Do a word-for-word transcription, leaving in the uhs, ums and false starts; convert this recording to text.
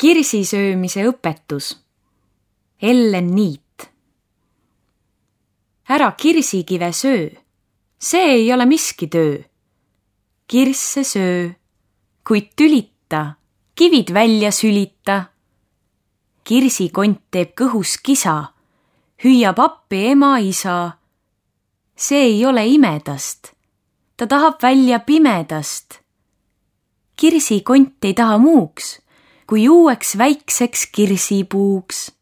Kirsisöömise õpetus. Ellen Niit. Ära kirsikive söö, see ei ole miski töö. Kirsse söö, kuid tülita, kivid välja sülita. Kirsikont teeb kõhus kisa, hüüab appi ema-isa. See ei ole imedast, ta tahab välja pimedast. Kirsikont ei taha muuks, kui uueks väikseks kirsipuuks.